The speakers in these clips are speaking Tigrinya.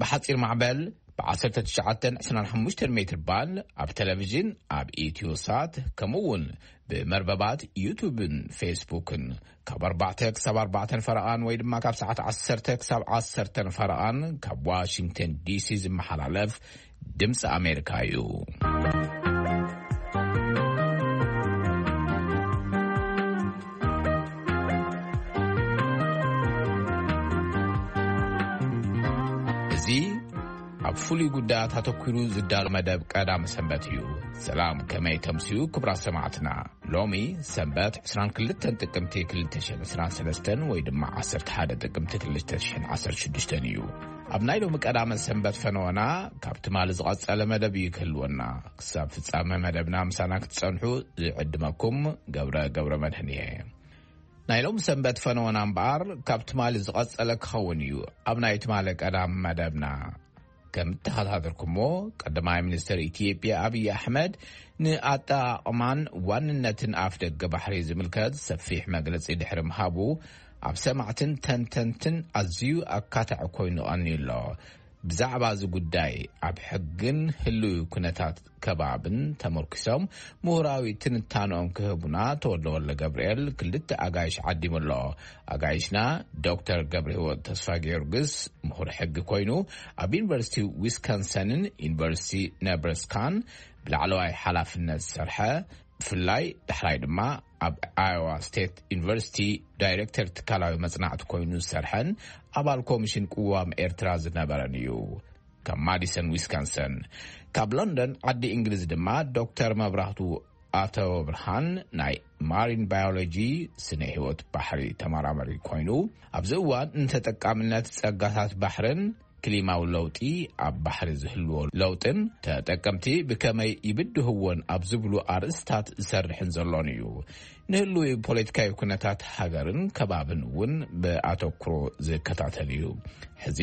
ብሓጺር ማዕበል ብ1925 ሜትር ባንድ ኣብ ቴሌቪዥን፣ ኣብ ኢትዮ ሳት፣ ከምኡ እውን ብመርበባት ዩቱብን ፌስቡክን ካብ ኣርባዕተ ክሳብ ኣርባዕተን ፈረቓን ወይ ድማ ካብ ሰዓት ዓሰርተ ክሳብ ዓሰርተን ፈረቓን ካብ ዋሽንግተን ዲሲ ዝመሓላለፍ ድምፂ ኣሜሪካ እዩ። እዚ ኣብ ፍሉይ ጉዳያት ኣተኲሩ ዝዳሎ መደብ ቀዳም ሰንበት እዩ። ሰላም፣ ከመይ ተምስዩ ክቡራት ሰማዕትና? ሎሚ ሰንበት 22 ጥቅምቲ 2023 ወይ ድማ 11 ጥቅምቲ 2016 እዩ። ኣብ ናይ ሎሚ ቀዳመ ሰንበት ፈነወና ካብ ትማሊ ዝቐጸለ መደብ እዩ ክህልወና። ክሳብ ፍጻመ መደብና ምሳና ክትጸንሑ ዝዕድመኩም ገብረ ገብረ መድህን እየ። ናይ ሎም ሰንበት ፈነወና እምበኣር ካብ ትማሊ ዝቐጸለ ክኸውን እዩ። ኣብ ናይ ትማሊ ቀዳም መደብና ከም እተኸታተልኩሞ፣ ቀዳማይ ሚኒስትር ኢትዮጵያ ኣብይ ኣሕመድ ንኣጠቓቕማን ዋንነትን ኣፍ ደገ ባሕሪ ዝምልከት ሰፊሕ መግለጺ ድሕሪ ምሃቡ፣ ኣብ ሰማዕትን ተንተንትን ኣዝዩ ኣካታዒ ኮይኑ ቀንዩ ኣሎ። ብዛዕባ እዚ ጉዳይ ኣብ ሕግን ህልዊ ኩነታት ከባብን ተመርኪሶም ምሁራዊ ትንታንኦም ክህቡና ተወልደ ወልደ ገብርኤል ክልተ ኣጋይሽ ዓዲሙ ኣሎ። ኣጋይሽና ዶክተር ገብረ ህይወት ተስፋ ጊዮርጊስ ምሁር ሕጊ ኮይኑ ኣብ ዩኒቨርሲቲ ዊስካንሰንን ዩኒቨርሲቲ ነብረስካን ብላዕለዋይ ሓላፍነት ዝሰርሐ፣ ብፍላይ ዳሕራይ ድማ ኣብ ኣዮዋ ስቴት ዩኒቨርሲቲ ዳይሬክተር ትካላዊ መጽናዕቲ ኮይኑ ዝሰርሐን ኣባል ኮሚሽን ቅዋም ኤርትራ ዝነበረን እዩ። ካብ ማዲሰን ዊስካንሰን። ካብ ሎንደን ዓዲ እንግሊዝ ድማ ዶክተር መብራህቱ ኣተወ ብርሃን ናይ ማሪን ባዮሎጂ፣ ስነ ህይወት ባሕሪ ተመራማሪ ኮይኑ፣ ኣብዚ እዋን ንተጠቃምነት ጸጋታት ባሕርን ክሊማዊ ለውጢ፣ ኣብ ባሕሪ ዝህልዎ ለውጥን ተጠቀምቲ ብከመይ ይብድህዎን ኣብ ዝብሉ ኣርእስታት ዝሰርሕን ዘሎን እዩ። ንህልዊ ፖለቲካዊ ኩነታት ሃገርን ከባብን እውን ብኣተኩሮ ዝከታተል እዩ። ሕዚ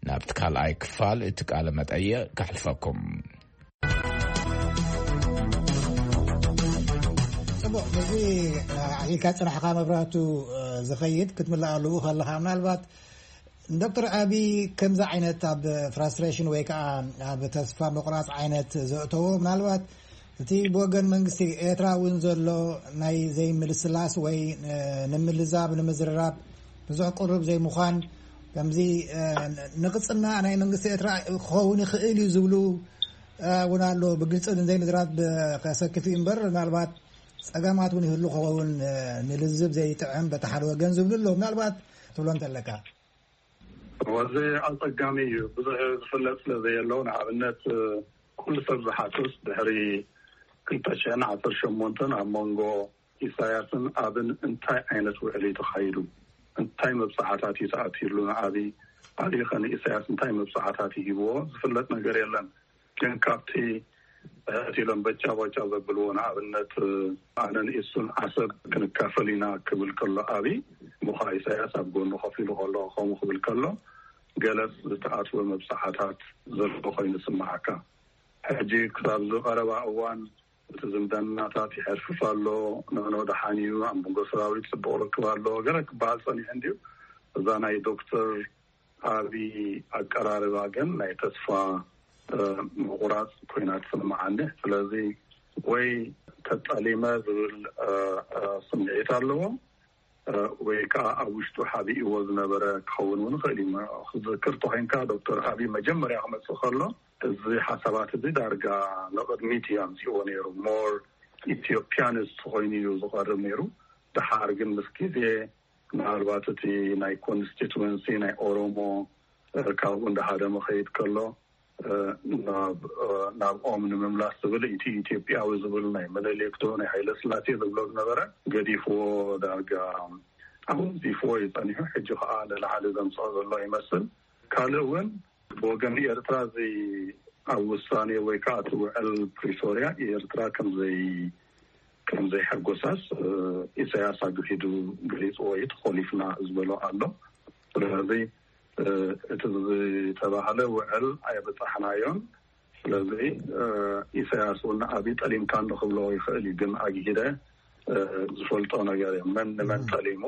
ናብቲ ካልኣይ ክፋል እቲ ቃለ መጠይቕ ከሕልፈኩም። ጽቡቕ፣ እዚ፣ እ፣ ኣኺልካ ጽናሕካ መብራህቱ፣ እ፣ ዝኸይድ ክትምልእ ኣለዎ ከለኻ፣ ምናልባት ንዶክተር ኣቢ ከምዚ ዓይነት ኣብ ፍራስትሬሽን ወይ ከዓ ኣብ ተስፋ ምቑራጽ ዓይነት ዘእተዎ፣ ምናልባት እቲ ብወገን መንግስቲ ኤርትራ እውን ዘሎ ናይ ዘይምልስላስ ወይ፣ እ፣ ንምልዛብ ንምዝርራብ ብዙሕ ቅሩብ ዘይምዃን፣ ከምዚ፣ እ፣ ንቕጽና ናይ መንግስቲ ኤርትራ ክኸውን ይኽእል እዩ ዝብሉ፣ እ፣ እውን ኣሎ። ብግልጺ ዘይምዝራብ ከሰክፍ እዩ እምበር፣ ምናልባት ጸገማት እውን ይህሉ ክኸውን፣ እ፣ ንልዝብ ዘይጥዕም በቲ ሓደ ወገን ዝብሉ ኣለዉ። ምናልባት ትብሎ እንተለካ። እዚ ኣጸጋሚ እዩ። ብዙሕ ዝፍለጥ ስለ ዘየሎ፣ ንኣብነት፣ ኩሉ ሰብ ዝሓትት ድሕሪ ክልተ ሽሕን ዓሰርተ ሸሞንተን ኣብ መንጎ ኢሳያስን ኣብን እንታይ ዓይነት ውዕል እዩ ተኻይዱ? እንታይ መብጽዓታት እዩ ተኣትዩሉ? ንኣብይ፣ ኣብይ ኸ ንኢሳያስ እንታይ መብጽዓታት እዩ ሂብዎ? ዝፍለጥ ነገር የለን። ግን ካብቲ ሕት ኢሎም በጫ ባጫ ዘብልዎ፣ ንኣብነት፣ ኣነን ኢሱን ዓሰብ ክንካፈል ኢና ክብል ከሎ ኣብይ፣ ምዃ ኢሳያስ ኣብ ጎኑ ኮፍ ኢሉ ከሎ ከምኡ ክብል ከሎ፣ ገለጽ ዝተኣትወ መብጽዓታት ዘሎ ኮይኑ ይስምዓካ። ሕጂ ክሳብ እዚ ቀረባ እዋን እቲ ዝምድናታት ይሐርፍፍ ኣሎ፣ ንዕኖ ደሓን እዩ፣ ኣብ መንጎ ሰራዊት ጽቡቕ ርክብ ኣሎ፣ ገለ ክበሃል ጸኒሑ እንድዩ። እዛ ናይ ዶክተር ኣቢ ኣቀራርባ ግን ናይ ተስፋ፣ እ፣ ምቑራጽ ኮይና ትስምዓኒ። ስለዚ ወይ ተጠሊመ ዝብል፣ እ፣ እ፣ ስምዒት ኣለዎ፣ እ፣ ወይ ከኣ ኣብ ውሽጡ ሓቢእዎ ዝነበረ ክኸውን እውን ይኽእል እዩ። ክዝክር ተኾይንካ ዶክተር ኣቢ መጀመርያ ክመጽእ ከሎ እዚ ሓሳባት እዚ ዳርጋ ንቕድሚት እዩ ኣምጺእዎ ነይሩ። ሞር ኢትዮጵያንስት ኮይኑ እዩ ዝቐርብ ነይሩ። ደሓር ግን ምስ ግዜ ምናልባት እቲ ናይ ኮንስቲትወንሲ ናይ ኦሮሞ፣ እ፣ ካብኡ እንዳሃደመ ኸይድ ከሎ፣ እ፣ ናብ፣ እ፣ ናብኦም ንምምላስ ዝብል እቲ ኢትዮጵያዊ ዝብል ናይ ምኒልክ ዶ ናይ ሃይለ ስላሴ ዝብሎ ዝነበረ ገዲፍዎ ዳርጋ ኣወንዚፍዎ እዩ ጸኒሑ። ሕጂ ኸኣ ንላዕሊ ዘምጽኦ ዘሎ ይመስል። ካልእ እውን ብወገን ኤርትራ እዚ ኣብ ውሳኔ ወይ ከዓ እቲ ውዕል ፕሪቶርያ ኤርትራ ከምዘይ-፣ ከምዘይሐጎሳስ፣ እ፣ ኢሳያስ ኣግሂዱ ገሊጽዎ እዩ። ተኾሊፍና ዝበሎ ኣሎ። ስለዚ፣ እ፣ እቲ ዝተባህለ ውዕል ኣየበጻሕናዮን። ስለዚ፣ እ፣ ኢሳያስ እውን ንኣብይ ጠሊምካ እንዶ ክብሎ ይኽእል እዩ፣ ግን ኣግሂደ፣ እ፣ ዝፈልጦ ነገር እዩ። መን ንመን እም። ጠሊሙ፣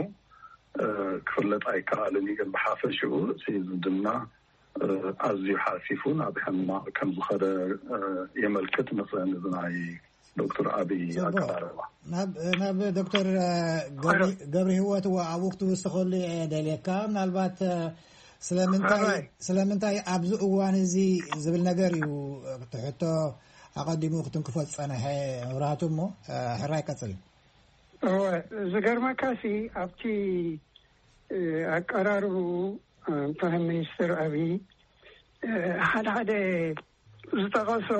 እ፣ ክፍለጥ ኣይከኣልን እዩ። ግን ብሓፈሽኡ እቲ ዝምድና ኣዝዩ ሓሲፉ ናብ ሕማቕ ከም ዝኸደ የመልክት። ንኽእል እዚ ናይ ዶክተር ኣብይ ኣቀራርባ ናብ ናብ ዶክተር ገብሪ ህይወት ኣብኡ ክትውስኸሉ እየ ደልየካ። ምናልባት ስለምንታይ ስለምንታይ ኣብዚ እዋን እዚ ዝብል ነገር እዩ ትሕቶ ኣቐዲሙ ክትንክፎ ዝጸነሐ። መብራህቱ እሞ ሕራይ ቀጽል። እወ፣ ዝገርመካ ሲ ኣብቲ ኣቀራርቡ ፕራይም ሚኒስተር ኣብይ ሓደ ሓደ ዝጠቐሶ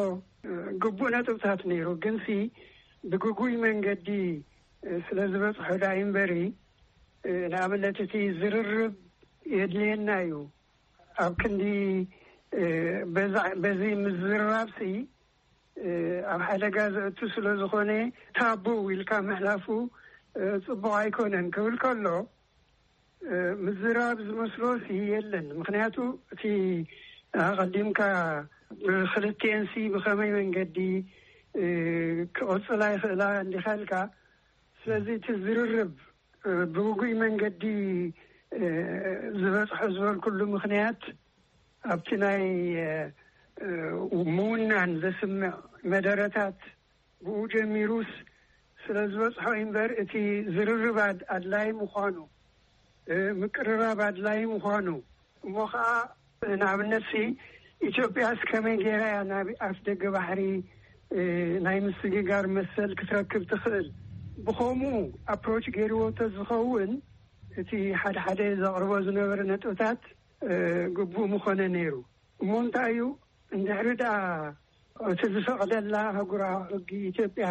ግቡእ ነጥብታት ነይሩ። ግንሲ ብግጉይ መንገዲ ስለ ዝበፅሖ ዳ እምበሪ፣ ንኣብነት እቲ ዝርርብ የድልየና እዩ። ኣብ ክንዲ በዚ ምዝርራብ ሲ ኣብ ሓደጋ ዘእቱ ስለ ዝኾነ፣ ታቡ ኢልካ ምሕላፉ ፅቡቕ ኣይኮነን ክብል ከሎ፣ ምዝራብ ዝመስሎ ሲ የለን። ምክንያቱ እቲ ኣቐዲምካ ብክልቲኤን ሲ ብኸመይ መንገዲ ክቕፅላ ይኽእላ እንዲኻ ኢልካ። ስለዚ እቲ ዝርርብ ብውጉይ መንገዲ ዝበፅሖ ዝበልኩሉ ምክንያት፣ ኣብቲ ናይ ምውናን ዘስምዕ መደረታት ብኡ ጀሚሩስ ስለ ዝበፅሖ እምበር፣ እቲ ዝርርብ ኣድላይ ምዃኑ፣ ምቅርራብ ኣድላይ ምዃኑ፣ እሞ ከዓ ንኣብነት ሲ ኢትዮጵያስ ከመይ ገይራ እያ ናብ ኣፍ ደገ ባሕሪ ናይ ምስግጋር መሰል ክትረክብ ትኽእል? ብኸምኡ ኣፕሮች ገይርዎ ተዝኸውን፣ እቲ ሓደ ሓደ ዘቕርቦ ዝነበረ ነጥብታት ግቡእ ምኾነ ነይሩ። እሞ እንታይ እዩ፣ እንድሕሪ ደኣ እቲ ዝፈቕደላ ኣህጉራዊ ሕጊ ኢትዮጵያ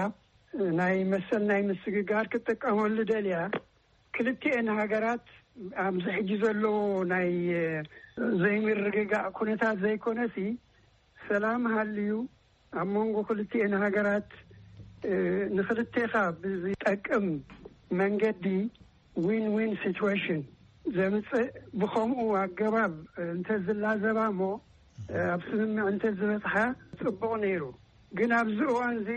ናይ መሰል ናይ ምስግጋር ክትጥቀመሉ ደልያ፣ ክልቲኤን ሃገራት ኣብዚ ሕጂ ዘለዎ ናይ ዘይምርግጋእ ኩነታት ዘይኮነሲ፣ ሰላም ሃልዩ ኣብ መንጎ ክልቲኤን ሃገራት ንክልቴኻ ብዝጠቅም መንገዲ ዊን ዊን ሲትዌሽን ዘምፅእ ብኸምኡ ኣገባብ እንተዝላዘባ እሞ ኣብ ስምምዕ እንተዝበፅሓ ፅቡቕ ነይሩ። ግን ኣብዚ እዋን እዚ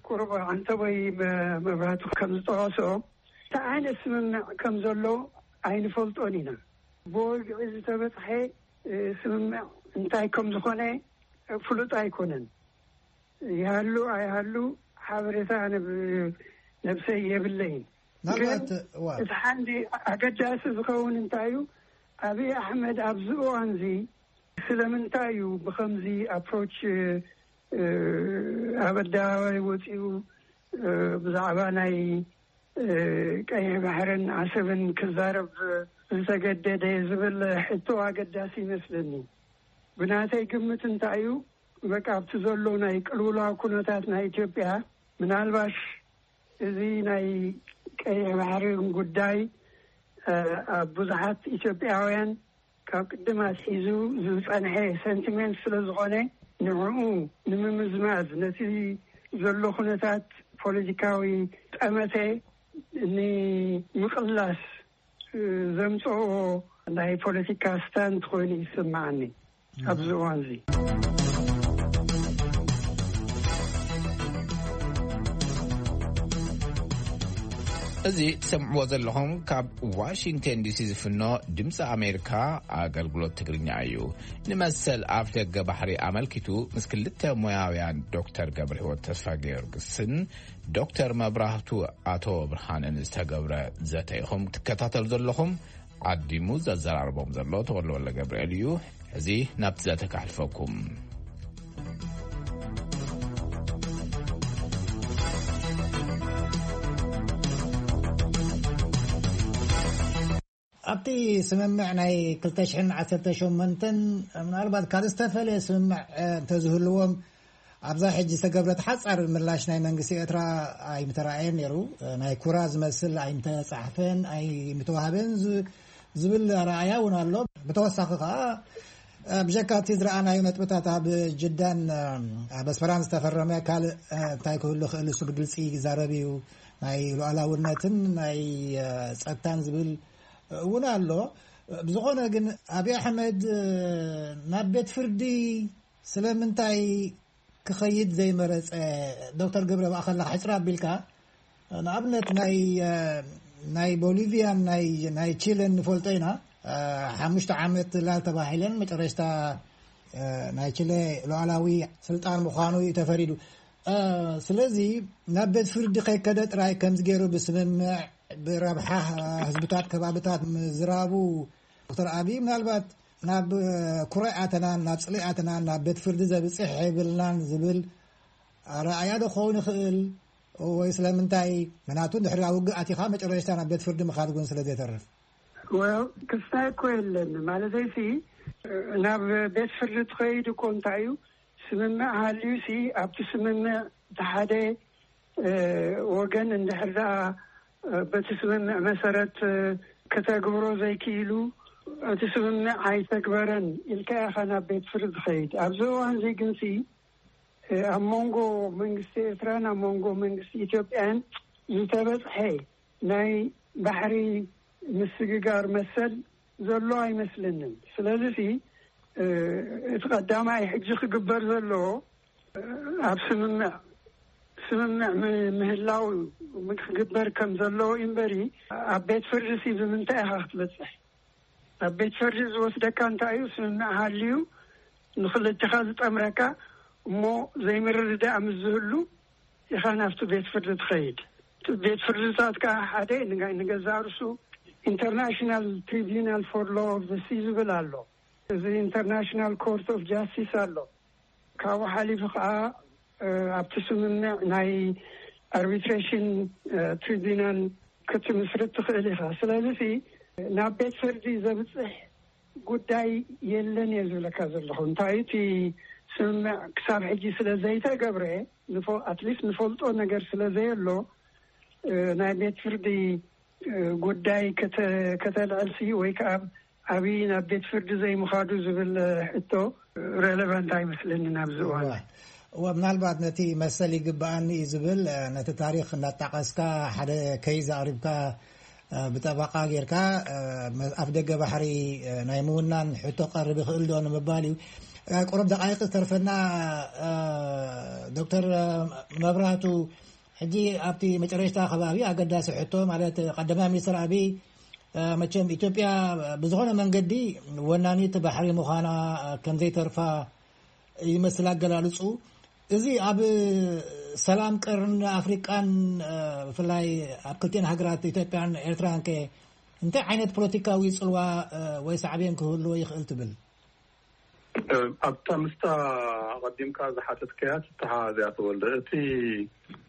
ቁሩብ ዓንተቦይ መብራህቱ ከም ዝጠቐሶ፣ እንታይ ዓይነት ስምምዕ ከም ዘሎ ኣይንፈልጦን ኢና። ብወግዒ ዝተበፅሐ ስምምዕ እንታይ ከም ዝኾነ ፍሉጥ ኣይኮነን። ይሃሉ ኣይሃሉ ሓበሬታ ኣነ ነብሰይ የብለይን። ግን ናልባት እዋ እቲ ሓንዲ ኣገዳሲ ዝኸውን እንታይ እዩ፣ ኣብይ ኣሕመድ ኣብዚ እዋንዚ ስለምንታይ እዩ ብኸምዚ ኣፕሮች ኣብ ኣደባባይ ወፂኡ ብዛዕባ ናይ ቀይሕ ባሕርን ዓሰብን ክዛረብ ዝተገደደ ዝብል ሕቶ ኣገዳሲ ይመስለኒ። ብናተይ ግምት እንታይ እዩ፣ በቃ ኣብቲ ዘሎ ናይ ቅልውላው ኩነታት ናይ ኢትዮጵያ ምናልባሽ እዚ ናይ ቀይሕ ባሕርን ጉዳይ ኣብ ብዙሓት ኢትዮጵያውያን ካብ ቅድም ኣትሒዙ ዝፀንሐ ሰንቲሜንት ስለ ዝኾነ ንዕኡ ንምምዝማዝ ነቲ ዘሎ ኩነታት ፖለቲካዊ ጠመተ ንምቕላስ ዘምፅኦ ናይ ፖለቲካ ስታንት ኮይኑ ይስምዓኒ ኣብዚ እዋን እዚ። እዚ ትሰምዕዎ ዘለኹም ካብ ዋሽንግተን ዲሲ ዝፍኖ ድምፂ ኣሜሪካ ኣገልግሎት ትግርኛ እዩ። ንመሰል ኣፍ ደገ ባሕሪ ኣመልኪቱ ምስ ክልተ ሞያውያን ዶክተር ገብረ ህይወት ተስፋ ጊዮርጊስን ዶክተር መብራህቱ ኣቶ ብርሃንን ዝተገብረ ዘተ ኢኹም ትከታተሉ ዘለኹም። ዓዲሙ ዘዘራርቦም ዘሎ ተወልደ ወልደ ገብርኤል እዩ። እዚ ናብቲ ዘተ ካሕልፈኩም። ኣብቲ ስምምዕ ናይ ክልተ ሽሕን ዓሰርተ ሸሞንተን ምናልባት ካብ ዝተፈለየ ስምምዕ እንተዝህልዎም ኣብዛ ሕጂ ዝተገብረት ሓጻር ምላሽ ናይ መንግስቲ ኤርትራ ኣይምተራእየን ነይሩ። ናይ ኩራ ዝመስል ኣይምተጻሕፈን ኣይምተዋህበን ዝ- ዝብል ኣረኣእያ እውን ኣሎ። ብተወሳኺ ከዓ ብጀካ እቲ ዝረኣናዮ ነጥብታት ኣብ ጅዳን ኣብ ኣስመራን ዝተፈረመ ካልእ እንታይ ክህሉ ክእል እሱ ብግልፂ ይዛረብ እዩ። ናይ ሉዓላውነትን ናይ ፀጥታን ዝብል እውን ኣሎ። ብዝኾነ ግን ኣብይ ኣሕመድ ናብ ቤት ፍርዲ ስለምንታይ ክኸይድ ዘይመረፀ? ዶክተር ገብረ ብኣኸላ ሕፅር ኣቢልካ ንኣብነት ናይ ናይ ቦሊቪያን ናይ ናይ ቺለን ንፈልጦ ኢና። ሓሙሽተ ዓመት ላል ተባሂለን መጨረሽታ ናይ ችለ ሉዓላዊ ስልጣን ምዃኑ እዩ ተፈሪዱ። ስለዚ ናብ ቤት ፍርዲ ከይከደ ጥራይ ከምዚ ገይሩ ብስምምዕ፣ ብረብሓ ህዝብታት ከባብታት ምዝራቡ፣ ዶክተር ኣብይ ምናልባት ናብ ኩረ ኣተናን ናብ ጽልኢ ኣተናን ናብ ቤት ፍርዲ ዘብጽሕ የብልናን ዝብል ኣረኣያ ዶ ክኸውን ይኽእል? ወይ ስለምንታይ? ምክንያቱ ድሕሪ ውግእ ኣቲኻ መጨረሽታ ናብ ቤት ፍርዲ ምኻድ እውን ስለ ዘይተርፍ። ክስታይ እኮ የለን ማለተይሲ፣ ናብ ቤት ፍርዲ ትኸይድ እኮ እንታይ እዩ? ስምምዕ ሃልዩሲ ኣብቲ ስምምዕ እቲ ሓደ ወገን እንድሕር ደኣ በቲ ስምምዕ መሰረት ከተግብሮ ዘይክኢሉ፣ እቲ ስምምዕ ኣይተግበረን ኢልካ ኢኻ ናብ ቤት ፍርዲ ትኸይድ። ኣብዚ እዋን እዚ ግንሲ ኣብ መንጎ መንግስቲ ኤርትራን ኣብ መንጎ መንግስቲ ኢትዮጵያን ዝተበጽሐ ናይ ባሕሪ ምስግጋር መሰል ዘሎ ኣይመስለንን። ስለዚ እቲ ቀዳማይ ሕጂ ክግበር ዘለዎ ኣብ ስምምዕ ስምምዕ ምህላው ክግበር ከም ዘለዎ እምበሪ፣ ኣብ ቤት ፍርዲ ሲ ብምንታይ ኢኻ ክትበፅሕ? ኣብ ቤት ፍርዲ ዝወስደካ እንታይ እዩ? ስምምዕ ሃልዩ ንክልትኻ ዝጠምረካ እሞ ዘይምርድዳእ ምስ ዝህሉ ኢኻ ናብቲ ቤት ፍርዲ ትኸይድ። ቤት ፍርድታት ከዓ ሓደ ንገዛ ርሱ ኢንተርናሽናል ትሪቢናል ፎር ሎ ኦፍ ሲ ዝብል ኣሎ። እዚ ኢንተርናሽናል ኮርት ኦፍ ጃስቲስ ኣሎ። ካብኡ ሓሊፉ ከዓ ኣብቲ ስምምዕ ናይ ኣርቢትሬሽን ትሪቢናል ክትምስርት ትኽእል ኢኻ። ስለዚ ናብ ቤት ፍርዲ ዘብፅሕ ጉዳይ የለን እየ ዝብለካ ዘለኹ። እንታይ እቲ ስምምዕ ክሳብ ሕጂ ስለ ዘይተገብረ፣ ኣትሊስት ንፈልጦ ነገር ስለ ዘየሎ፣ ናይ ቤት ፍርዲ ጉዳይ ከተልዕልሲ ወይ ከዓ ኣብይ ናብ ቤት ፍርዲ ዘይምኻዱ ዝብል ሕቶ ሬሌቫንት ኣይመስለኒ ናብዚ እዋን። እዋ፣ ምናልባት ነቲ መሰል ይግብኣኒ እዩ ዝብል ነቲ ታሪክ እናጣቀስካ ሓደ ከይዝ ኣቅሪብካ ብጠበቃ ጌርካ ኣብ ደገ ባሕሪ ናይ ምውናን ሕቶ ቀርብ ይኽእል ዶ ንምባል እዩ። ቁሩብ ደቃይቅ ዝተርፈና ዶክተር መብራህቱ፣ ሕጂ ኣብቲ መጨረሽታ ከባቢ ኣገዳሲ ሕቶ ማለት ቀዳማይ ሚኒስትር ኣብይ መቸም ኢትዮጵያ ብዝኾነ መንገዲ ወናኒት ባሕሪ ምዃና ከምዘይተርፋ ይመስል ኣገላልፁ። እዚ ኣብ ሰላም ቀርን ኣፍሪቃን ብፍላይ ኣብ ክልቲኤን ሃገራት ኢትዮጵያን ኤርትራን ከ እንታይ ዓይነት ፖለቲካዊ ፅልዋ ወይ ሳዕቤን ክህልዎ ይኽእል ትብል? ኣብታ ምስታ ኣቐዲምካ ዝሓተትካያ ትተሓሓዝ እያ ተወልደ። እቲ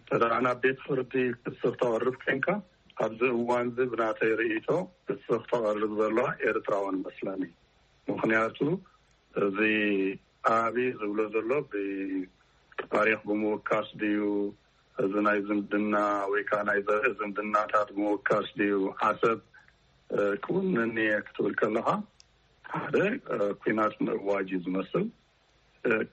ተደኣ ናብ ቤት ፍርዲ ክሲ ክተቕርብ ኮይንካ ኣብዚ እዋን እዚ ብናተይ ርእይቶ ክሲ ክተቕርብ ዘለዋ ኤርትራውያን መስለኒ። ምኽንያቱ እዚ ኣብይ ዝብሎ ዘሎ ብታሪኽ ብምውካስ ድዩ፣ እዚ ናይ ዝምድና ወይ ከዓ ናይ ዘርኢ ዝምድናታት ብምውካስ ድዩ፣ ዓሰብ ክውንን እየ ክትብል ከለኻ ሓደ ኩናት ምእዋጅ እዩ ዝመስል።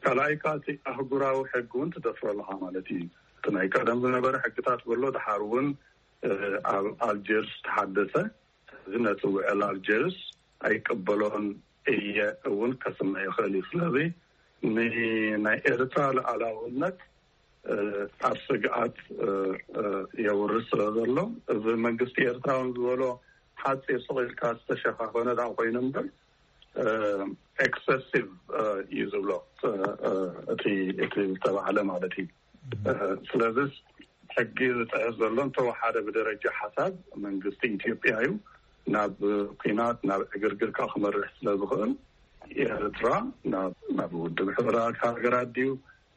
ካልኣይ ከዓ እቲ ኣህጉራዊ ሕጊ እውን ትደፍሮ ኣለኻ ማለት እዩ። እቲ ናይ ቀደም ዝነበረ ሕግታት በሎ ድሓር እውን ኣብ ኣልጀርስ ተሓደሰ። እዚ ነቲ ውዕል ኣልጀርስ ኣይቀበሎን እየ እውን ከስምዕ ይኽእል እዩ። ስለዚ ንናይ ኤርትራ ሉዓላውነት ኣብ ስግኣት የውርድ ስለ ዘሎ፣ እዚ መንግስቲ ኤርትራ እውን ዝበሎ ሓፂር ስቕ ኢልካ ዝተሸፋፈነ ደኣ ኮይኑ እምበር ኤክሰሲቭ እዩ ዝብሎ እቲ ዝተባህለ ማለት እዩ። ስለዚ ሕጊ ዝጥሕስ ዘሎ እንተወሓደ ብደረጃ ሓሳብ መንግስቲ ኢትዮጵያ እዩ። ናብ ኲናት ናብ ዕግርግር ከዓ ክመርሕ ስለ ዝኽእል ኤርትራ ናብ ውድብ ሕቡራት ሃገራት ድዩ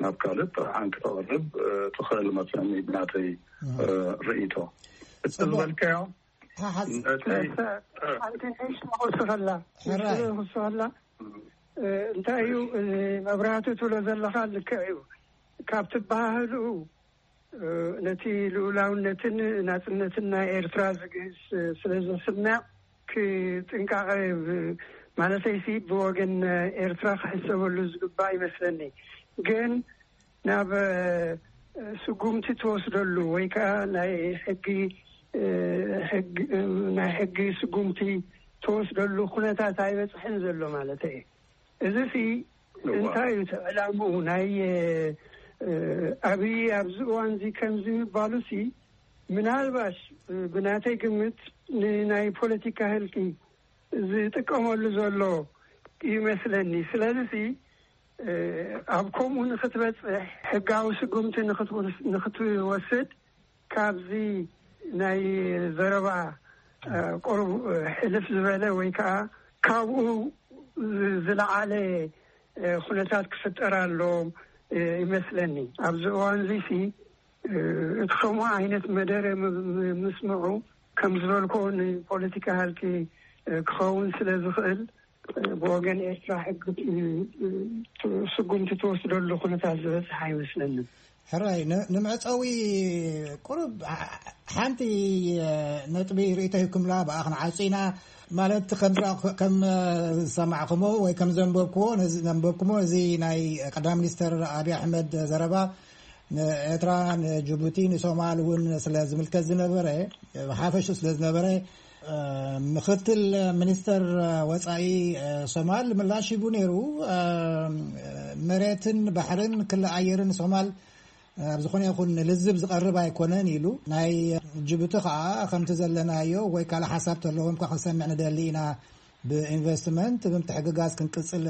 ናብ ካልእ ጥርዓን ክተቕርብ ትኽእል መስለኒ ብናተይ ርእይቶ። እቲ ዝበልካዮ ሓንቲ ንእሽቶ ክውስኸላ ንእሽቶ ክውስኸላ እንታይ እዩ መብራህቲ ትብሎ ዘለኻ ልክዕ እዩ። ካብ ትበሃህልኡ ነቲ ልኡላውነትን ናፅነትን ናይ ኤርትራ ዝግህስ ስለ ዘስምዕ ክጥንቃቐ ማለተይሲ ብወገን ኤርትራ ክሕሰበሉ ዝግባእ ይመስለኒ። ግን ናብ ስጉምቲ ትወስደሉ ወይ ከዓ ናይ ሕጊ ናይ ሕጊ ስጉምቲ ትወስደሉ ኩነታት ኣይበፅሐን ዘሎ ማለት እዩ። እዚ ሲ እንታይ እዩ እቲ ዕላምኡ? ናይ ኣብይ ኣብዚ እዋን እዚ ከምዚ ምባሉ ሲ ምናልባሽ ብናተይ ግምት ንናይ ፖለቲካ ህልቂ ዝጥቀመሉ ዘሎ ይመስለኒ። ስለዚ ሲ ኣብ ከምኡ ንክትበፅሕ ሕጋዊ ስጉምቲ ንክትወስድ ካብዚ ናይ ዘረባ ቁሩብ ሕልፍ ዝበለ ወይ ከዓ ካብኡ ዝለዓለ ኩነታት ክፍጠር ኣሎ ይመስለኒ። ኣብዚ እዋን እዚ ሲ እቲ ከምኡ ዓይነት መደረ ምስምዑ ከም ዝበልኮ ንፖለቲካ ሃልኪ ክኸውን ስለ ዝኽእል ብወገን ኤርትራ ሕጊ ስጉምቲ ትወስደሉ ኩነታት ዝበፅሕ ኣይመስለንን። ሕራይ ንምዕፀዊ ቁሩብ ሓንቲ ነጥቢ ርእቶ ይኩምላ ብኣ ክንዓፁ ኢና። ማለት ከም ዝሰማዕኩሞ ወይ ከም ዘንበብኩዎ ዘንበብኩሞ እዚ ናይ ቀዳም ሚኒስተር ኣብይ ኣሕመድ ዘረባ ንኤርትራ፣ ንጅቡቲ፣ ንሶማል እውን ስለ ዝምልከት ዝነበረ፣ ብሓፈሹ ስለ ዝነበረ፣ ምክትል ሚኒስተር ወፃኢ ሶማል ምላሽ ሂቡ ነይሩ። መሬትን ባሕርን ክሊ ኣየርን ሶማል ኣብ ዝኾነ ይኹን ልዝብ ዝቐርብ ኣይኮነን ኢሉ። ናይ ጅቡቲ ከዓ ከምቲ ዘለናዮ ወይ ካልእ ሓሳብ ተለዎም ከዓ ክንሰምዕ ንደሊ ኢና። ብኢንቨስትመንት ብምትሕግጋዝ ክንቅፅል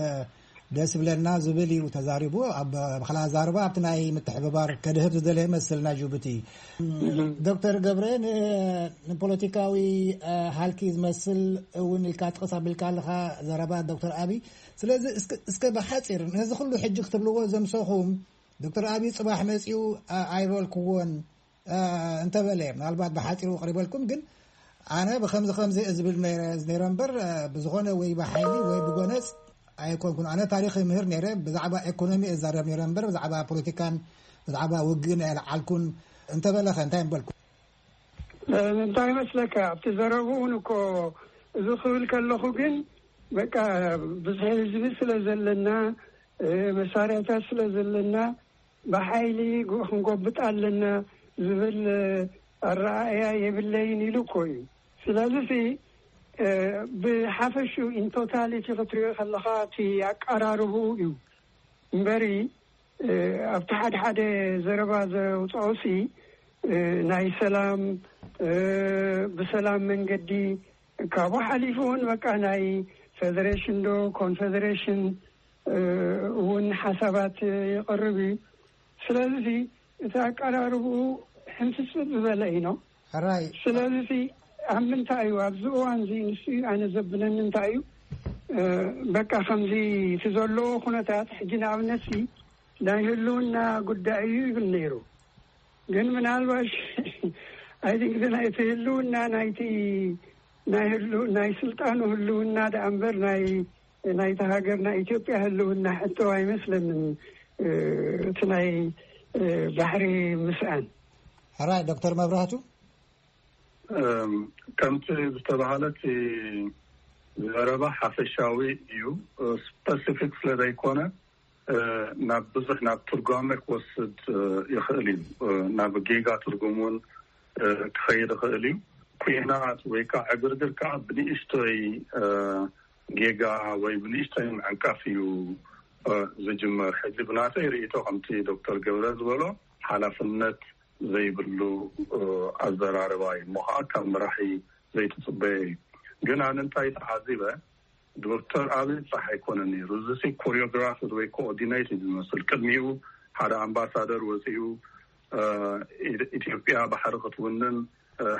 ደስ ይብለና ዝብል እዩ ተዛሪቡ። ኣብ ብክላ ዛርባ ኣብቲ ናይ ምትሕብባር ከድህብ ዝደለየ መስል ናይ ጅቡቲ። ዶክተር ገብረ ንፖለቲካዊ ሃልኪ ዝመስል እውን ኢልካ ጥቕስ ኣቢልካ ኣለካ ዘረባ ዶክተር ኣብይ። ስለዚ እስከ ብሓፂር ነዚ ኩሉ ሕጂ ክትብልዎ ዘምሰኹም ዶክተር ኣብይ ፅባሕ መፂኡ ኣይበልክዎን እንተበለ ምናልባት ብሓፂሩ ኣቕሪበልኩም። ግን ኣነ ብከምዚ ከምዚ ዝብል ነይረ እምበር ብዝኾነ ወይ ብሓይሊ ወይ ብጎነፅ ኣይኮንኩን። ኣነ ታሪክ ይምህር ነይረ፣ ብዛዕባ ኤኮኖሚ እዛረብ ነይረ እምበር ብዛዕባ ፖለቲካን ብዛዕባ ውግእን ኣይለዓልኩን እንተበለኸ እንታይ ምበልኩ? እንታይ ይመስለካ ኣብቲ ዘረብኡን እኮ እዚ ክብል ከለኹ ግን በቃ ብዙሕ ህዝቢ ስለ ዘለና መሳርያታት ስለ ዘለና ብሓይሊ ክንጎብጥ ኣለና ዝብል ኣረኣእያ የብለይን ኢሉ እኮ እዩ። ስለዚ ብሓፈሹ ኢንቶታሊቲ ክትሪኦ ከለካ እቲ ኣቀራርብኡ እዩ እምበሪ ኣብቲ ሓደ ሓደ ዘረባ ዘውፅኦሲ ናይ ሰላም ብሰላም መንገዲ ካብኡ ሓሊፉ እውን በቃ ናይ ፌደሬሽን ዶ ኮንፌደሬሽን እውን ሓሳባት ይቐርብ እዩ። ስለዚ እቲ ኣቀራርብኡ ሕንፍስብ ዝበለ እዩ ነው። ሕራይ ስለዚ ኣብ ምንታይ እዩ ኣብዚ እዋን እዚ ንሱ እዩ ኣነ ዘብለኒ እንታይ እዩ በቃ ከምዚ እቲ ዘለዎ ኩነታት ሕጂ ንኣብነት ናይ ህልውና ጉዳይ እዩ ይብል ነይሩ። ግን ምናልባሽ ኣይቲንክ ናይቲ ህልውና ናይቲ ናይ ህሉ ናይ ስልጣኑ ህልውና ደኣ እምበር ናይ ናይቲ ሃገር ናይ ኢትዮጵያ ህልውና ሕቶ ኣይመስለንን። እቲ ናይ ባሕሪ ምስኣን ሕራይ ዶክተር መብራህቱ ከምቲ ዝተባሃለ እቲ ዘረባ ሓፈሻዊ እዩ። ስፐሲፊክ ስለ ዘይኮነ ናብ ብዙሕ ናብ ትርጓመ ክወስድ ይኽእል እዩ። ናብ ጌጋ ትርጉም እውን ክኸይድ ይኽእል እዩ። ኩናት ወይ ከዓ ዕግርግር ከዓ ብንእሽቶይ ጌጋ ወይ ብንእሽቶይ ምዕንቃፍ እዩ ዝጅመር። ሕዚ ብናተይ ርእይቶ ከምቲ ዶክተር ገብረ ዝበሎ ሓላፍነት ዘይብሉ ኣዘራርባ እዩ። እሞ ከዓ ካብ መራሒ ዘይትፅበየ እዩ። ግን ኣነ እንታይ ተዓዚበ ዶክተር ኣብይ ጥራሕ ኣይኮነን ነይሩ። እዚ ሲ ኮሪዮግራፍድ ወይ ኮኦርዲኔት እዩ ዝመስል። ቅድሚኡ ሓደ ኣምባሳደር ወፂኡ ኢትዮጵያ ባሕሪ ክትውንን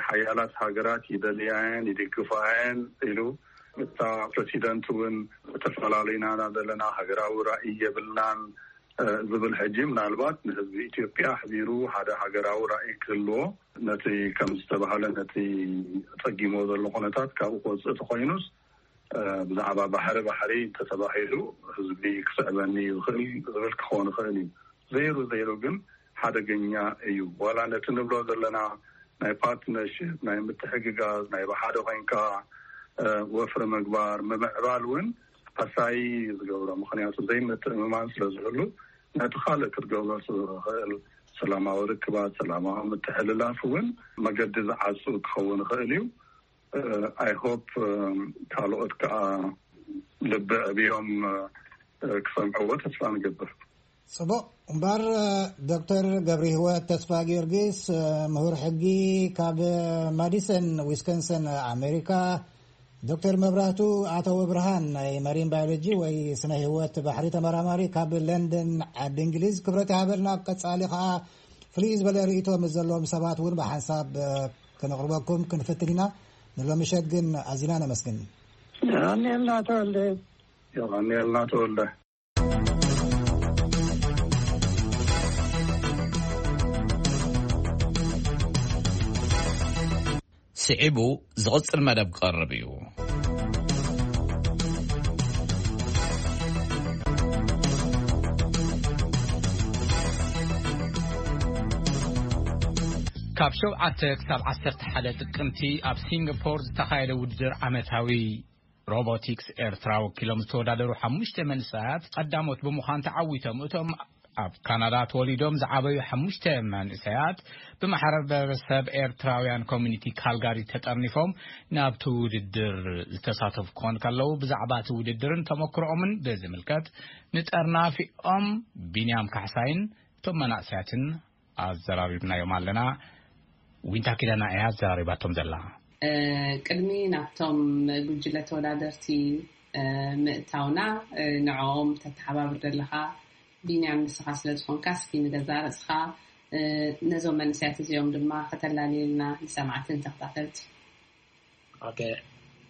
ሓያላት ሃገራት ይደልያየን ይድግፋየን ኢሉ እታ ፕረሲደንት እውን ዝተፈላለዩና ዘለና ሃገራዊ ራእይ የብልናን ዝብል ሕጂ ምናልባት ንህዝቢ ኢትዮጵያ ኣሕቢሩ ሓደ ሃገራዊ ራእይ ክህልዎ ነቲ ከም ዝተባሃለ ነቲ ጸጊሞ ዘሎ ኩነታት ካብኡ ክወፅእ ተኮይኑስ ብዛዕባ ባሕሪ ባሕሪ እንተተባሂሉ ህዝቢ ክስዕበኒ ይኽእል ዝብል ክኸውን ይኽእል እዩ። ዘይሩ ዘይሩ ግን ሓደገኛ እዩ። ዋላ ነቲ ንብሎ ዘለና ናይ ፓርትነርሽፕ ናይ ምትሕግጋዝ ናይ ብሓደ ኮይንካ ወፍሪ ምግባር ምምዕባል እውን ኣሳይ ዝገብሮ ምክንያቱ ዘይምትእምማን ስለ ዝህሉ ነቲ ካልእ ክትገብሮ ዝኽእል ሰላማዊ ርክባት ሰላማዊ ምትሕልላፍ እውን መገዲ ዝዓፁ ክኸውን ይኽእል እዩ። I hope ካልኦት ከዓ ልቢ ዕብዮም ክሰምዕዎ ተስፋ ንገብር። ፅቡቕ እምበር ዶክተር ገብረ ህይወት ተስፋ ጊዮርጊስ ምሁር ሕጊ ካብ ማዲሰን ዊስኮንሰን ኣሜሪካ ዶክተር መብራህቱ ኣተወ ብርሃን ናይ መሪን ባዮሎጂ ወይ ስነ ህይወት ባሕሪ ተመራማሪ ካብ ለንደን ዓዲ እንግሊዝ ክብረት ይሃበልና። ኣብ ቀጻሊ ከኣ ፍልይ ዝበለ ርእይቶ ምስ ዘለዎም ሰባት እውን ብሓንሳብ ከነቕርበኩም ክንፍትን ኢና። ንሎሚ ምሸት ግን ኣዚና ነመስግን። የቐንየልና ተወልደ። የቐንየልና ተወልደ። ስዒቡ ዝቕጽል መደብ ክቐርብ እዩ። ካብ ሸውዓተ ክሳብ ዓሰርተ ሓደ ጥቅምቲ ኣብ ሲንጋፖር ዝተኻየደ ውድድር ዓመታዊ ሮቦቲክስ ኤርትራ ወኪሎም ዝተወዳደሩ ሓሙሽተ መንእሰያት ቀዳሞት ብምዃን ተዓዊቶም። እቶም ኣብ ካናዳ ተወሊዶም ዝዓበዩ ሓሙሽተ መንእሰያት ብማሕበረሰብ ኤርትራውያን ኮሚኒቲ ካልጋሪ ተጠርኒፎም ናብቲ ውድድር ዝተሳተፉ ክኾኑ ከለዉ፣ ብዛዕባ እቲ ውድድርን ተመክሮኦምን ብዝምልከት ንጠርናፊኦም ቢንያም ካሕሳይን እቶም መናእሰያትን ኣዘራሪብናዮም ኣለና። ዊንታ ኪዳና እያ ኣዘራሪባቶም ዘላ። ቅድሚ ናብቶም ጉጅለ ተወዳደርቲ ምእታውና፣ ንዕኦም ተተሓባብር ዘለኻ ቢንያም ንስኻ ስለ ዝኾንካ፣ እስኪ ንገዛ ርእስኻ ነዞም መንእሰያት እዚኦም ድማ ከተላልየልና ንሰማዕትን ተኸታተልቲ። ኦኬ፣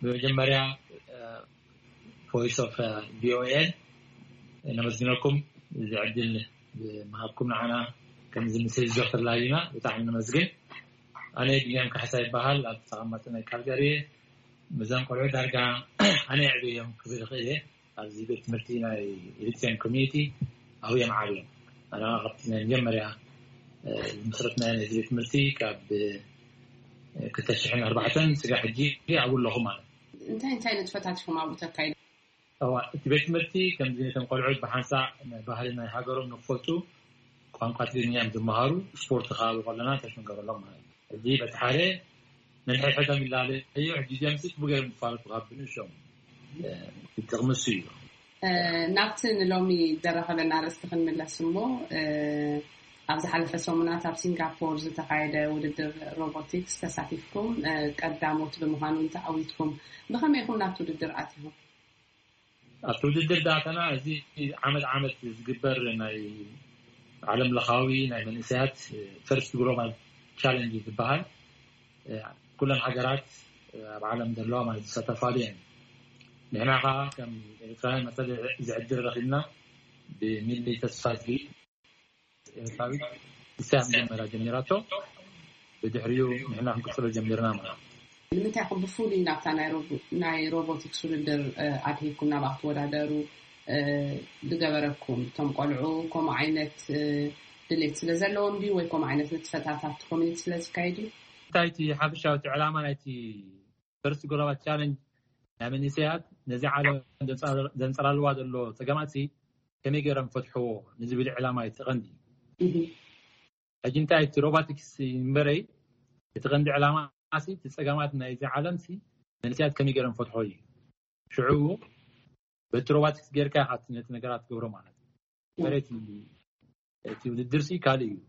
ብመጀመርያ ቮይስ ኦፍ ቪኦኤ ነመስግነኩም፣ እዚ ዕድል ምሃብኩም ንዓና ከምዚ ምስ ህዝቢ ተላሊና ብጣዕሚ ነመስግን። ኣነ ቢንያም ካሕሳ ይበሃል፣ ኣብ ተቐማጢ ናይ ካልጋሪ እየ። ምዞም ቆልዑ ዳርጋ ኣነ የዕብዮም ክብል ይኽእል እየ። ኣብዚ ቤት ትምህርቲ ናይ ኤሪትሪያን ኮሚኒቲ ኣብኡ እዮም ዓብዮም። ኣነ ካብቲ ናይ መጀመርያ ዝመስረትና ናይ ቤት ትምህርቲ ካብ ክልተ ሽሕን ኣርባዕተን ስጋ ሕጂ ኣብኡ ኣለኹ ማለት እዩ። እንታይ እንታይ ንጥፈታት ኢኹም ኣብኡ ተካይዱ? እዋ፣ እቲ ቤት ትምህርቲ ከምዚ ነቶም ቆልዑት ብሓንሳእ ባህሊ ናይ ሃገሮም ንክፈልጡ ቋንቋ ትግርኛ እዮም ዝመሃሩ። ስፖርት ከባቢ ከለና ተሽንገረሎም ማለት እዩ። ሕጂ በቲ ሓደ ነንሕድሕዶም ይላለዩ። ሕጂ እዚኦም ሲ ጽቡቅ ገይሮም ዝፋለጡ ካብ ብንእሽቶም፣ እ፣ እቲ ጥቕሚ እሱ እዩ። እ፣ ናብቲ ንሎሚ ዘራኸበና ኣርእስቲ ክንምለስ እሞ፣ እ፣ ኣብ ዝሓለፈ ሰሙናት ኣብ ሲንጋፖር ዝተኻየደ ውድድር ሮቦቲክስ ተሳቲፍኩም፣ እ፣ ቀዳሞት ብምዃን እውን ተዓዊትኩም። ብኸመይ ኢኹም ናብቲ ውድድር ኣቲኹም? ኣብቲ ውድድር ዳተና እዚ ዓመት ዓመት ዝግበር ናይ ዓለም ለኻዊ ናይ መንእሰያት ፈርስት ግሎባል ቻለንጅ ዝበሃል፣ ኩለን ሃገራት ኣብ ዓለም ዘለዋ ማለት ዝሳተፋሉ እየን። ንሕና ከዓ ከም ኤርትራውያን መሰል ዝዕድል ረኺብና ብሚሊ ተስፋዝጊ ኤርትራዊት ንሳ እያ መጀመርያ ጀሚራቶ። ብድሕሪኡ ንሕና ክንቅጽሎ ጀሚርና ማለት እዩ። ንምንታይ ኢኹም ብፍሉይ ናብታ ናይ ሮቦ-፣ ናይ ሮቦቲክስ ውድድር፣ እ፣ ኣድሂብኩም ናብኣ ክትወዳደሩ፣ እ፣ ዝገበረኩም? እቶም ቆልዑ ከምኡ ዓይነት፣ እ፣ ድሌት ስለ ዘለዎም ድዩ ወይ ከምኡ ዓይነት ንጥፈታት ኣብቲ ኮሚኒቲ ስለ ዝካየድ እዩ? እንታይ እቲ ሓፈሻዊ እቲ ዕላማ ናይቲ ፈርስት ግሎባል ቻለንጅ ናይ መንእሰያት ነዚ ዓለም ዘንጸላልዋ ዘሎ ጸገማት ሲ ከመይ ገይሮም ፈትሕዎ ንዝብል ዕላማ እዩ እቲ ቀንዲ። ሕጂ እንታይ እቲ ሮቦቲክስ እምበረይ እቲ ቀንዲ ዕላማ ሲ እቲ ጸገማት ናይዚ ዓለም ሲ መንእሰያት ከመይ ገይሮም ፈትሖ እዩ። ሽዑ በቲ ሮቦቲክስ ጌርካ ኢኻ ነቲ ነገራት ትገብሮ ማለት እዩ። እምበረይ እቲ እቲ ውድድር ሲ ካልእ እዩ።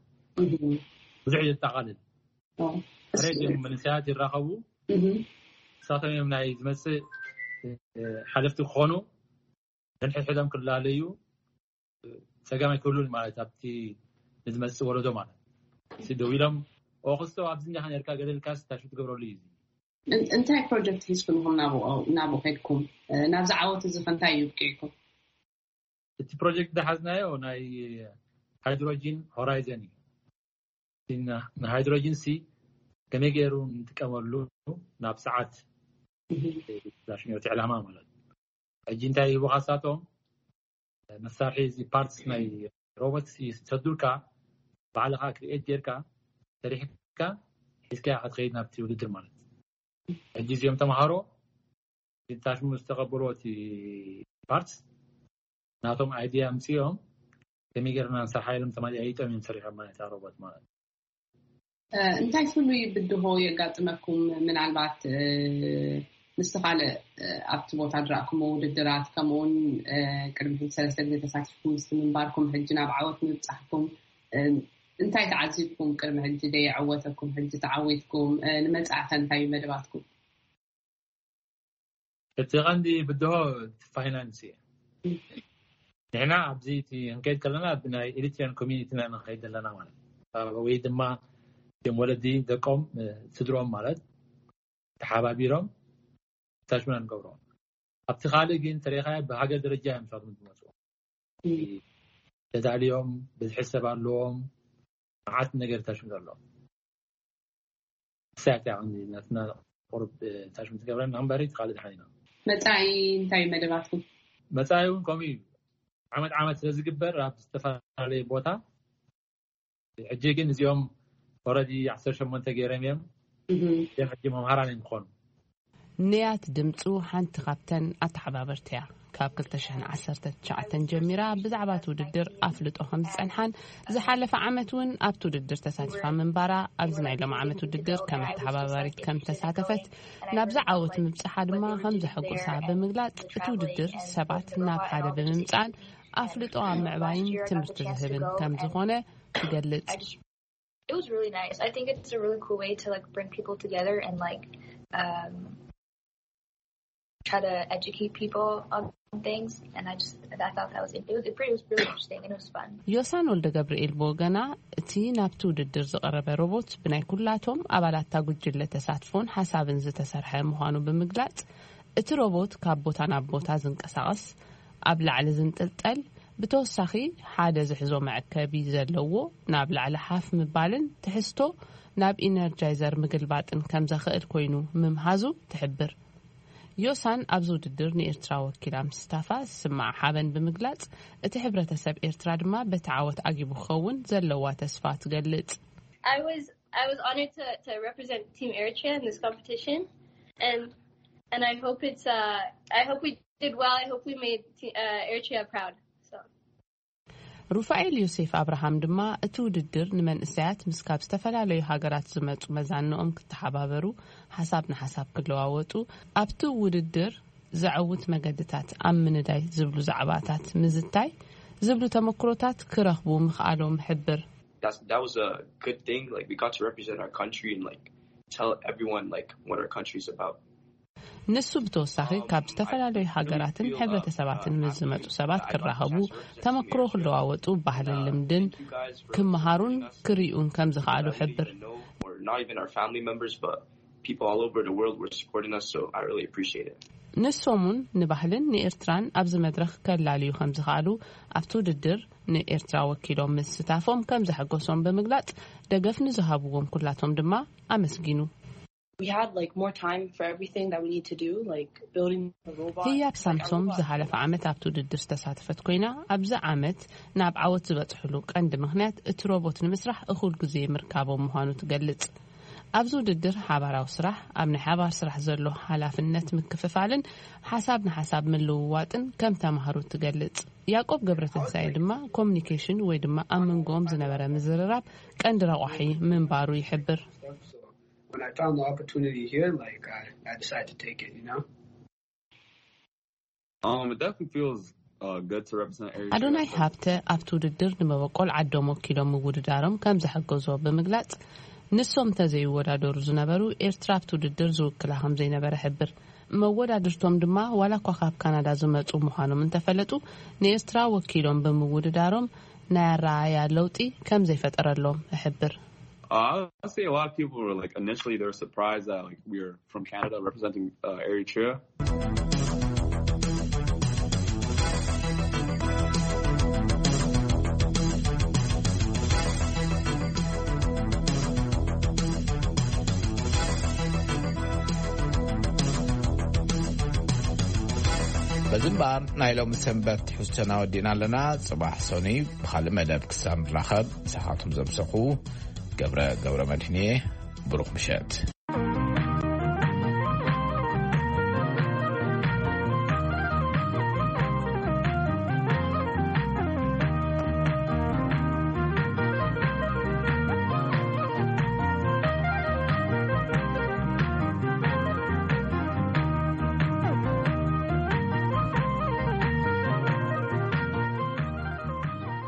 ብዙሕ እዩ ዘጠቓልል። ሕሬት እዮም መንእሰያት ይራኸቡ። ንሳቶም እዮም ናይ ዝመፅእ ሓለፍቲ ክኾኑ፣ ነንሕድሕዶም ክላለዩ ፀገም ኣይክህሉን ማለት ኣብቲ ንዝመፅእ ወለዶ ማለት ሲ ደው ኢሎም ኦክስቶ ኣብዚ እንዲኻ ነርካ ገደልካ ስታሹ ትገብረሉ እዩ። እንታይ ፕሮጀክት ሒዝኩም ኢኹም ናብኡ ከድኩም? ናብዚ ዓወት እዚ ከ እንታይ እዩ ኣብቂዕኩም? እቲ ፕሮጀክት ዝሓዝናዮ ናይ ሃይድሮጂን ሆራይዘን እዩ። ንሃይድሮጂን ሲ ከመይ ገይሩ ንጥቀመሉ ናብ ሰዓት ዳሽኛው እቲ ዕላማ ማለት እዩ። ሕጂ እንታይ ሂቡ ካሳቶም መሳርሒ እዚ ፓርትስ ናይ ሮቦት ይሰዱልካ፣ ባዕልኻ ክሪኤት ጌርካ ሰሪሕካ ሒዝካ ክትኸይድ ናብቲ ውድድር ማለት እዩ። ሕጂ እዚኦም ተምሃሮ ታሽሙ ዝተቐበልዎ እቲ ፓርትስ ናቶም ኣይዲያ ኣምፅኦም ከመይ ገይርና ንሰርሓ ኢሎም ተማሊኣይጦም እዮም ሰሪሖም ማለት እያ ሮቦት ማለት። እንታይ ፍሉይ ብድሆ የጋጥመኩም? ምናልባት ምስቲ ካልእ ኣብቲ ቦታ ድረእኩሞ ውድድራት ከምኡውን ቅድሚ ሕጂ ሰለስተ ግዜ ተሳቲፍኩም ምስቲ ምንባርኩም ሕጂ ናብ ዓወት ምብፃሕኩም እንታይ ተዓዚብኩም? ቅድሚ ሕጂ ደየዐወተኩም ሕጂ ተዓዊትኩም ንመፃእኸ እንታይ እዩ መደባትኩም? እቲ ቀንዲ ብድሆ እቲ ፋይናንስ እዩ። ንሕና ኣብዚ እቲ ክንከይድ ከለና ብናይ ኤሪትሪያን ኮሚኒቲ ኢና ንኸይድ ዘለና ማለት እዩ። ወይ ድማ እቶም ወለዲ ደቆም፣ ስድሮም ማለት ተሓባቢሮም ታሽሙና ንገብሮ። ኣብቲ ካልእ ግን ተሪኻዮ ብሃገር ደረጃ እዮም ንሳቶም ዝመፁ። ተዳልዮም ብዝሒ ሰብ ኣለዎም። መዓት ነገር ታሽሙ ዘሎ ሳያት ያዕኒ ናትና ቁሩብ ታሽሙ ትገብረና እምበሪ እቲ ካልእ ድሓን ኢና። መጻኢ እንታይ እዩ መደባትኩም? መጻኢ እውን ከምኡ እዩ። ዓመት ዓመት ስለ ዝግበር ኣብ ዝተፈላለየ ቦታ። ሕጂ ግን እዚኦም ኦረዲ ዓሰርተ ሸሞንተ ገይሮም እዮም። እዚኦም ሕጂ መምሃራን እዮም ክኾኑ። ንያት ድምፁ ሓንቲ ካብተን ኣተሓባበርቲ እያ። ካብ ክልተ ሽሕን ዓሰርተ ትሽዓተን ጀሚራ ብዛዕባ እቲ ውድድር ኣፍልጦ ከም ዝፀንሓን ዝሓለፈ ዓመት እውን ኣብቲ ውድድር ተሳቲፋ ምንባራ ኣብዚ ናይ ሎም ዓመት ውድድር ከም ኣተሓባባሪት ከም ተሳተፈት ናብዚ ዓወት ምብፅሓ ድማ ከም ዘሐጎሳ ብምግላፅ እቲ ውድድር ሰባት ናብ ሓደ ብምምፃን ኣፍልጦ ኣብ ምዕባይን ትምህርቲ ዝህብን ከም ዝኾነ ትገልፅ። It was really nice. I think it's a really cool way to like bring people together and like um try to educate people on things. And I just I thought that was it was, it was really interesting and it was fun. ዮሳን ወልደ ገብርኤል ብወገና እቲ ናብቲ ውድድር ዝቐረበ ሮቦት ብናይ ኩላቶም ኣባላታ ጉጅለ ተሳትፎን ሓሳብን ዝተሰርሐ ምዃኑ ብምግላጽ እቲ ሮቦት ካብ ቦታ ናብ ቦታ ዝንቀሳቐስ ኣብ ላዕሊ ዝንጥልጠል ብተወሳኺ ሓደ ዝሕዞ መዐከቢ ዘለዎ ናብ ላዕሊ ሓፍ ምባልን ትሕዝቶ ናብ ኢነርጃይዘር ምግልባጥን ከም ዘኽእል ኮይኑ ምምሃዙ ትሕብር። ዮሳን ኣብዚ ውድድር ንኤርትራ ወኪላ ምስታፋ ዝስማዓ ሓበን ብምግላጽ እቲ ሕብረተሰብ ኤርትራ ድማ በቲ ዓወት ኣጊቡ ክኸውን ዘለዋ ተስፋ ትገልጽ። I was I was honored to, to represent Team Eritrea in this competition, and and I hope it's uh I hope we did well. I hope we made uh, Eritrea proud. So. ሩፋኤል ዮሴፍ ኣብርሃም ድማ እቲ ውድድር ንመንእሰያት ምስ ካብ ዝተፈላለዩ ሃገራት ዝመፁ መዛንኦም ክተሓባበሩ ሓሳብ ንሓሳብ ክለዋወጡ ኣብቲ ውድድር ዘዐውት መገድታት ኣብ ምንዳይ ዝብሉ ዛዕባታት ምዝታይ ዝብሉ ተመክሮታት ክረኽቡ ምኽኣሎም ሕብር። That's that was a good thing. Like we got to represent our country and like tell everyone like what our country's about. ንሱ ብተወሳኺ ካብ ዝተፈላለዩ ሃገራትን ሕብረተሰባትን ምስ ዝመፁ ሰባት ክራኸቡ ተመክሮ ክለዋወጡ ባህልን ልምድን ክመሃሩን ክርእዩን ከም ዝኸኣሉ ሕብር። Not even our family members, but people all over the world were supporting us, so I really appreciate it. ንሶም እውን ንባህልን ንኤርትራን ኣብዚ መድረኽ ከላልዩ ከም ዝኸኣሉ ኣብቲ ውድድር ንኤርትራ ወኪሎም ምስታፎም ከም ዘሐጎሶም ብምግላፅ ደገፍ ንዝሃብዎም ኩላቶም ድማ ኣመስጊኑ። We had like more time for everything that we need to do, like building the robot. ህያብ ሳምሶም ዝሓለፈ ዓመት ኣብቲ ውድድር ዝተሳተፈት ኮይና ኣብዚ ዓመት ናብ ዓወት ዝበፅሕሉ ቀንዲ ምክንያት እቲ ሮቦት ንምስራሕ እኹል ግዜ ምርካቦም ምዃኑ ትገልፅ። ኣብዚ ውድድር ሓባራዊ ስራሕ ኣብ ናይ ሓባር ስራሕ ዘሎ ሓላፍነት ምክፍፋልን ሓሳብ ንሓሳብ ምልውዋጥን ከም ተማሃሩ ትገልፅ። ያዕቆብ ገብረትንሳኤ ድማ ኮሚኒኬሽን ወይ ድማ ኣብ መንጎኦም ዝነበረ ምዝርራብ ቀንዲ ረቋሒ ምንባሩ ይሕብር። When I found the opportunity here, like I, I decided to take it, you know. Um, it definitely feels uh, good to represent Eritrea. ኣዶናይ ሃብተ ኣብቲ ውድድር ንመበቆል ዓዶም ወኪሎም ምውድዳሮም ከም ዘሐገዞ ብምግላፅ ንሶም እንተዘይወዳደሩ ዝነበሩ ኤርትራ ኣብቲ ውድድር ዝውክላ ከም ዘይነበረ ሕብር። መወዳድርቶም ድማ ዋላ እኳ ካብ ካናዳ ዝመፁ ምዃኖም እንተፈለጡ ንኤርትራ ወኪሎም ብምውድዳሮም ናይ ኣረኣያ ለውጢ ከም ዘይፈጠረሎም እሕብር። Uh, I would say a lot of people were like initially they were surprised that like we were from Canada representing uh, Eritrea. በዚ እምበኣር ናይ ሎሚ ሰንበት ትሕዝቶና ወዲእና ኣለና። ጽባሕ ሰኑይ ብኻልእ መደብ ክሳብ ንራኸብ፣ ንስኻትኩም ዘምሰኹ ገብረ ገብረ መድህን እየ። ብሩኽ ምሸት።